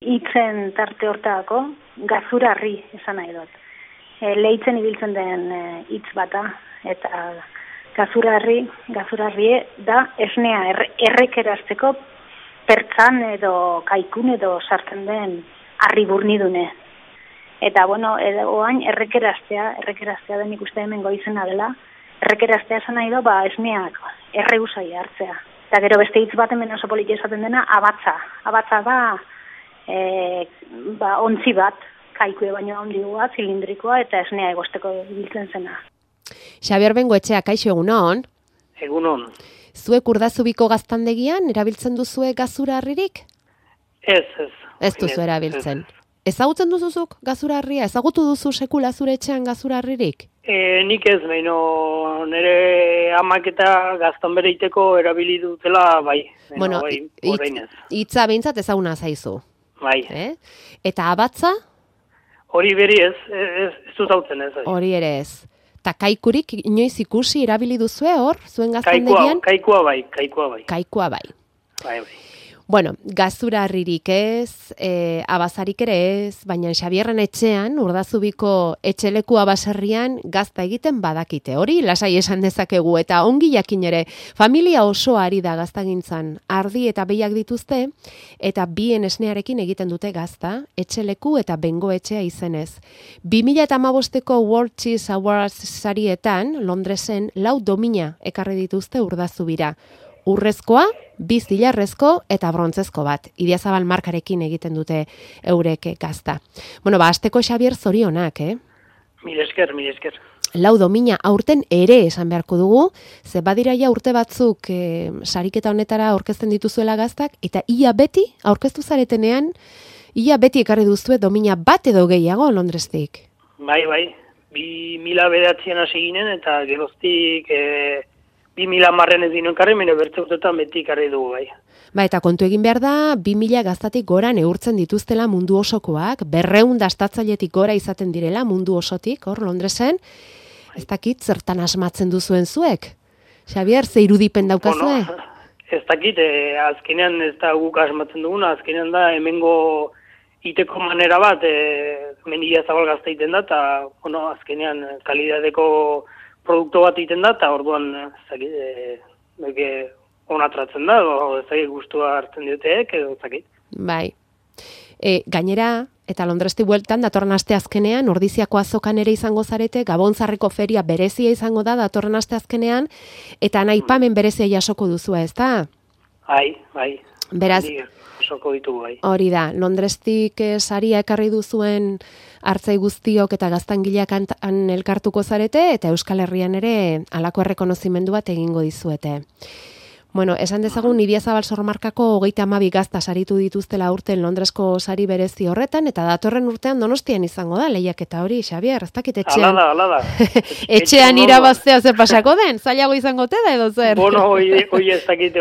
hitzen tarte hortako gazurarri esan nahi dut. Lehitzen ibiltzen den hitz bata, eta gazurarri da esnea errekerazteko pertzan edo kaikun edo sartzen den harri burnidune. Eta oain errekeraztea den ikuste hemen goizena dela, errekeraztea esan nahi du, esneak erreusai hartzea. Eta gero beste hitz bat hemen oso politia esaten dena, abatza. Abatza da, ontzi bat, kaikue baino handigoa, zilindrikoa, eta esnea egosteko biltzen zena. Xabier Bengoetxea, kaixo egunon? Egunon. Zuek Urdazubiko gaztandegian erabiltzen duzue gazurarririk? Ez. Ez duzu erabiltzen. Ezagutzen duzuzuk gazurarria? Ezagutu duzu sekula zure etxean gazurarririk? Nik ez, nire amak eta gaztan bere iteko erabili dutela, bai. Orain ez. Hitza behintzat ezaguna zaizu. Bai. Eta abatza? Hori beri ez dut hautzen ez. Hori ere ez. Ta kaikurik inoiz ikusi erabili duzue hor, zuen gaztandegian? Kaikua bai. Kaikua bai. Bai. Bueno, gazurarririk ez, abazarik ere ez, baina Xabierren etxean, Urdazubiko etxelekua baserrian gazta egiten badakite. Hori lasai esan dezakegu eta ongi jakin ere, familia osoa ari da gaztagintzan, ardi eta behiak dituzte, eta bien esnearekin egiten dute gazta, etxeleku eta bengoetxea izenez. 2015ko World Cheese Awards sarietan, Londresen, 4 domina ekarri dituzte Urdazubira. Urrezkoa, 2 zilarrezko eta brontzezko bat. Idiazabal markarekin egiten dute eurek gazta. Hasteko Xabier zorionak, Mil esker. 4 domina aurten ere esan beharko dugu, ze badira ja urte batzuk sariketa honetara aurkezten dituzuela gaztak, eta ia beti aurkeztu zaretenean, ia beti ekarri duzue domina bat edo gehiago Londrestik. Bai. 2009an hasi ginen eta geroztik 2010 ez dino ekarri, bertze urtetan beti ekarri dugu, bai. Eta kontu egin behar da, 2000 gaztatik gora neurtzen dituztela mundu osokoak, 200 dastatzailetik gora izaten direla mundu osotik, hor Londresen. Ez dakit, zertan asmatzen duzuen zuek? Xabier, ze irudipen daukazue? Ez dakit, azkenean ez da guk asmatzen duguna, azkenean da hemengo iteko manera bat, mendia zabal gazta iten da, eta azkenean kalidadeko produktu bat egiten da, eta orduan onatratzen da, ezagik gustua hartzen dioteek, edo ezagik. Bai. Gainera, eta Londresti bueltan, datorren aste azkenean, Ordiziako azokan ere izango zarete, Gabontzarreko feria berezia izango da, datorren aste azkenean, eta aipamen berezia jasoko duzu, ez da? Bai. Beraz, jasoko ditugu, bai. Hori da, Londrestik saria ekarri duzuen hartzai guztiok eta gaztangileak elkartuko zarete, eta Euskal Herrian ere halako errekonozimendu bat egingo dizuete. Esan dezagun Idiazabal Sormarkako 32 gazta saritu dituztela urten Londresko sari berezi horretan, eta datorren urtean Donostian izango da, lehiaketa hori, Xabier, ez dakit etxean. Hala da. Etxean irabaztea ze pasako den, zailago izango te da edo zer? Hoi ez dakit.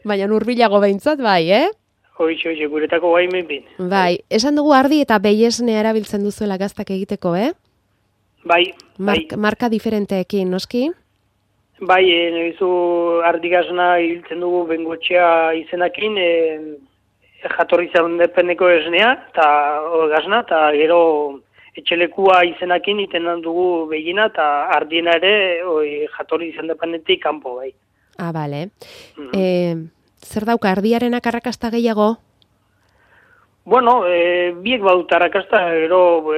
Baina urbilago behintzat bai, Hoxe, guretako bai menpin. Bai, esan dugu ardi eta behiesnea erabiltzen duzuela gaztak egiteko, Bai. Marka diferenteekin, noski? Bai, nebizu ardigasna hiltzen dugu bengoetxea izenakin, jatorri zaundependeko esnea, eta gasna, eta gero etxelekua izenakin iten dugu behiena, eta ardiena ere jatorri zaundependetik kanpo, bai. Bale. Zer dauka, ardiarenak arrakasta gehiago? Biek badut arrakasta, gero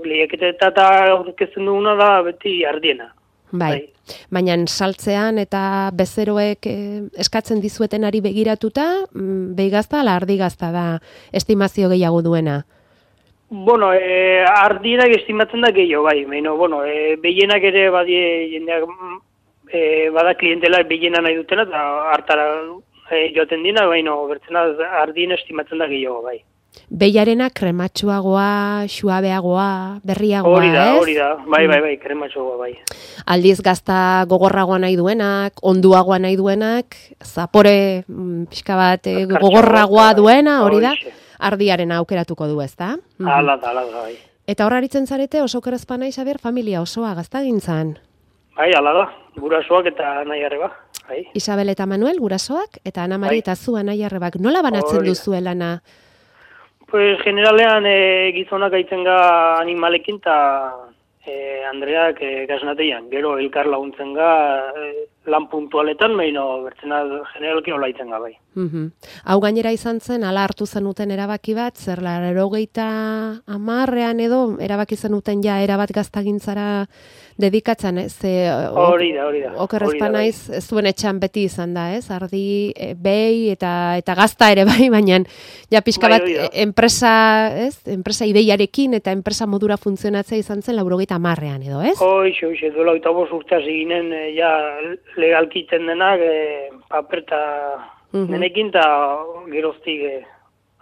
lehiaketa eta aurkezten duguna da beti ardiena. Bai. Baina saltzean eta bezeroek eskatzen dizuetenari begiratuta, behigazta ala ardigazta da estimazio gehiago duena? Ardienak estimatzen da gehiago, bai. Behienak ere badie jendeak bada klientela behiena nahi dutela, eta hartara joaten dina, bertzena ardien estimatzen da gehiago, bai. Behiarena krematsuagoa, suabeagoa, berriagoa, Hori da, bai, krematsuagoa, bai. Aldiz gazta gogorragoa nahi duenak, onduagoa nahi duenak, zapore pixka bat gogorragoa duena, hori da, ardiarena aukeratuko du, ez da? Hala da, bai. Eta horra aritzen zarete oso kerezpa nahi, Xabier, familia osoa gaztagintzan? Bai, hala da, gurasoak eta nahi arreba. bai. Isabel eta Manuel, gurasoak, eta Ana Mari eta zu anaiarrebak. Nola banatzen duzue lana? Pues generalean gizonak aitzen ga animalekin eta Andreak gaznateian. Gero elkar laguntzen ga lan puntualetan, baina bertzena generalki hola aitzen ga bai. Hau gainera izan zen, ala hartu zenuten erabaki bat, zer 80ean edo erabaki zenuten ja erabat gaztagintzara dedikatzen, hori da. Okerrezpa naiz, zuen etxan beti izan da, ez? Ardi, behi eta gazta ere bai, baina ja pixka bat enpresa ideiarekin eta enpresa modura funtzionatzea izan zen 90ean edo, ez? Hoxe, duela 25 urte hasi ginen ja legalkiten denak paper eta denekin eta geroztik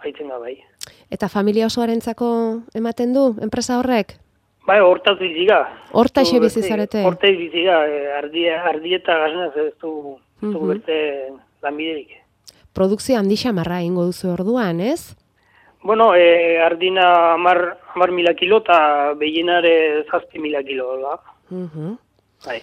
haitzen da bai. Eta familia osoarentzako ematen du enpresa horrek? Bai, hortaz biziga. Hortaxe bizi zarete? Hortaz biziga, ardi eta gaznaz ez du berte lanbiderik. Produkzio handi xamarra ingo duzu orduan, ez? Bueno, ardina 10.000 kilo eta behienare 7.000 kilo, da. Bai.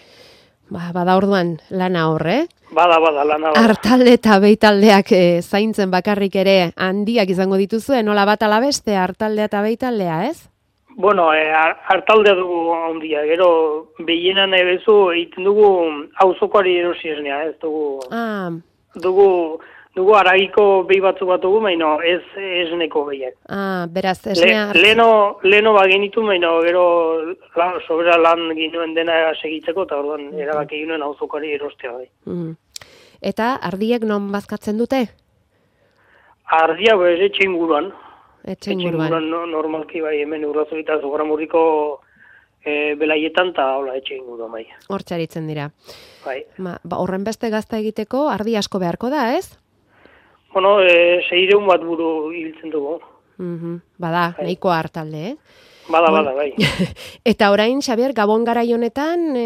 Bada orduan lana horre? Bada lana horre. Artalde eta behitaldeak zaintzen bakarrik ere handiak izango dituzue, nola bat ala beste, artaldea eta behitaldea, ez? Bueno, artaldea dugu handia, gero behienan ebezu egiten dugu auzokoari erosi esnea, ez dugu... Dugu aragiko behi batzuk bat dugu, baina ez esneko behiak. Beraz, esnea... Leno bagenitu, baina gero sobera lan ginuen dena segitzeko, eta orduan erabaki ginuen auzokari erostea bai. Eta ardiek non bazkatzen dute? Ardia, etxe inguruan. Etxe inguruan. Normalki bai, hemen urrazu eta Zugaramurriko belaietan, eta hola, etxe inguruan bai. Hortxaritzen dira. Bai. Horren beste gazta egiteko, ardi asko beharko da, ez? Bueno, 600 bat buru hiltzen dugu. Bada, nahiko hartalde, Bada, bai. Eta orain, Xabier, Gabon garai honetan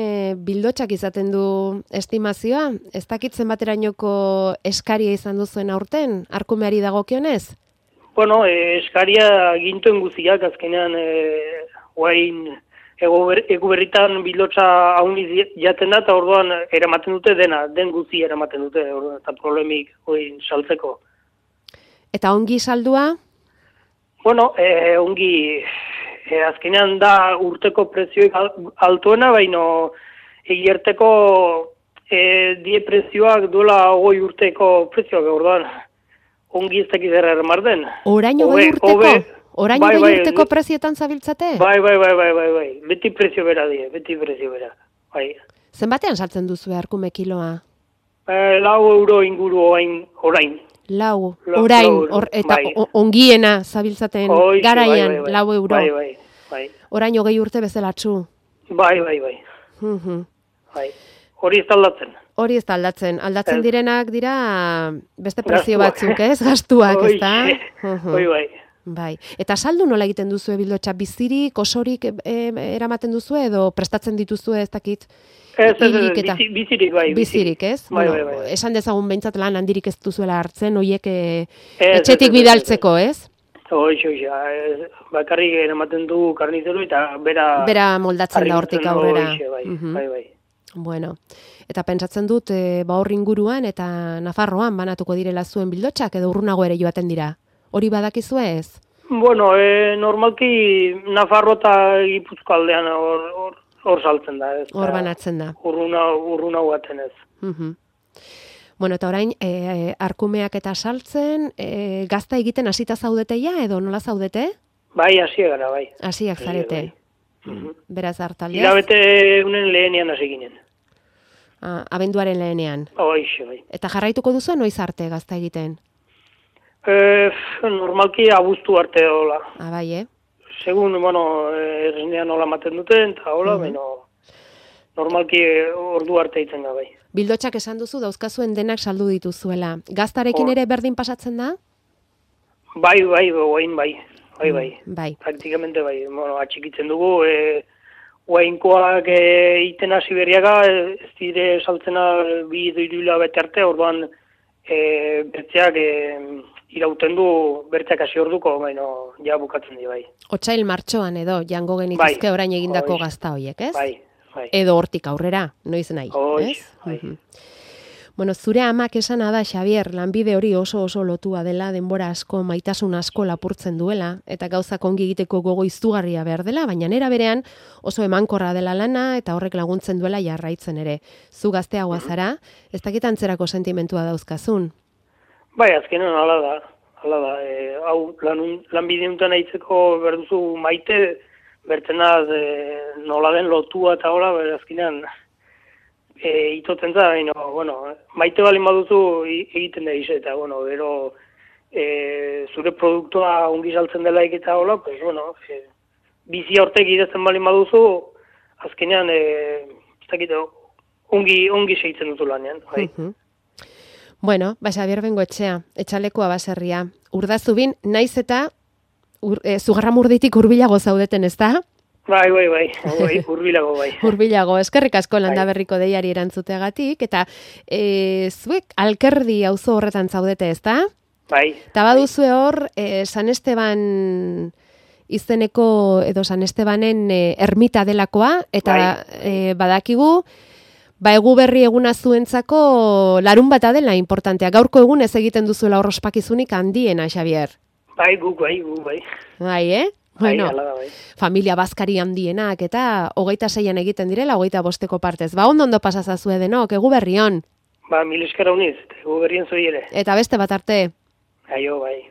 bildotxak izaten du estimazioa. Ez dakitzen baterainoko eskaria izan duzuen aurten, arkumeari dagokionez? Bueno, eskaria gintuen guziak, azkenean guain ego berritan bildotxa hauniz jaten da, eta orduan eramaten dute dena, den guzi eramaten dute, eta problemik saltzeko. Eta ongi saldua? Bueno, ongi, azkenean da urteko prezioik altuena, baina egierteko die prezioak duela 20 urteko prezioak, orduan ongi ez dakiz erramar den. Orain 20 urteko? Orain urteko prezioetan zabiltzate? Bai. Beti prezio bera die, bai. Zenbatean saltzen duzu arkume kiloa? 4 euro inguru orain. 4, orain, eta ongiena zabiltzaten garaian, 4 euro. Bai. Orain 20 urte bezelatxu. Bai. Hori ez taldatzen. Aldatzen direnak dira beste prezio batzuk, ez? Gastuak, ez da? Bai. Eta saldu nola egiten duzu bildotxa? Bizirik, osorik eramaten duzu edo prestatzen dituzu ez dakit? Bizirik, bai. Bizirik, ez? Bai. Esan dezagun behintzat lan handirik ez duzuela hartzen, hoiek etxetik bidaltzeko, ez? Bakarrik eramaten du karnizeru eta bera moldatzen da hortik aurrera. Bai. Bueno, eta pentsatzen dut hor inguruan eta Nafarroan banatuko direla zuen bildotxak edo urrunago ere joaten dira. Hori badakizue ez? Bueno, normalki Nafarro eta Gipuzko aldean hor saltzen da. Hor banatzen da. Urruna guaten ez. Bueno, eta orain, arkumeak eta saltzen, gazta egiten hasita zaudeteia edo nola zaudete? Bai, hasiak gara, bai. Hasiak zarete. Beraz hartaldeaz? Hilabete unen lehenean hasi ginen. Abenduaren lehenean. Bai. Eta jarraituko duzu noiz arte gazta egiten? Normalki abuztu arte hola. Bai, Segun, errenean hola maten duten, eta hola, normalki ordu arte itzen da, bai. Bildotxak esan duzu, dauzkazuen denak saldu dituzuela. Gaztarekin ere berdin pasatzen da? Bai. Praktikamente bai. Atxikitzen dugu, guainkoak iten hasi berriaga, ez dire saltzena 2-3 hilabete arte, orduan bertzeak irauten du bertzeak hasi orduko, baina ja bukatzen di bai. Otsail martxoan edo jango genituzke orain egindako gazta hoiek, ez? Bai. Edo hortik aurrera, noiz nahi, ez? Bai. Bueno, zure amak esana da, Xabier, lanbide hori oso lotua dela, denbora asko, maitasun asko lapurtzen duela, eta gauzak ongi egiteko gogo izugarria behar dela, baina nera berean oso emankorra dela lana, eta horrek laguntzen duela jarraitzen ere. Zu gazteagoa zara, ez dakit antzerako sentimentua dauzkazun? Bai, azkenean hala da. Hau lanbide honetan aitzeko berduzu maite, bertenaz nola den lotua eta hola, azkenean itoten da, maite balin baduzu egiten da ize, eta, gero zure produktua ongi saltzen delaik eta hola, bizi hortek idazten balin baduzu, azkenean, ongi segitzen duzu lanean, bai. Bueno, Xabier Bengoetxea, Etxalekoa baserria. Urdazubin, naiz eta Zugarramurditik hurbilago zaudeten, ezta? Bai, hurbilago bai. Hurbilago, eskerrik asko Landaberriko deiari erantzuteagatik, eta zuek Alkerdi auzo horretan zaudete, ezta? Bai. Eta baduzue hor, San Esteban izeneko, edo San Estebanen ermita delakoa, eta badakigu, egu berri eguna zuentzako larun bata dela importantea. Gaurko egun ez egiten duzuela hor ospakizunik handiena, Xabier. Bai, guk bai. Bai, Bueno, bai. Familia bazkari handienak eta 26an egiten direla, 25eko partez. Ondo pasazazue denok, egu berri on. Mil esker hauniz, egu berrien zoiere. Eta beste bat arte. Aio, bai.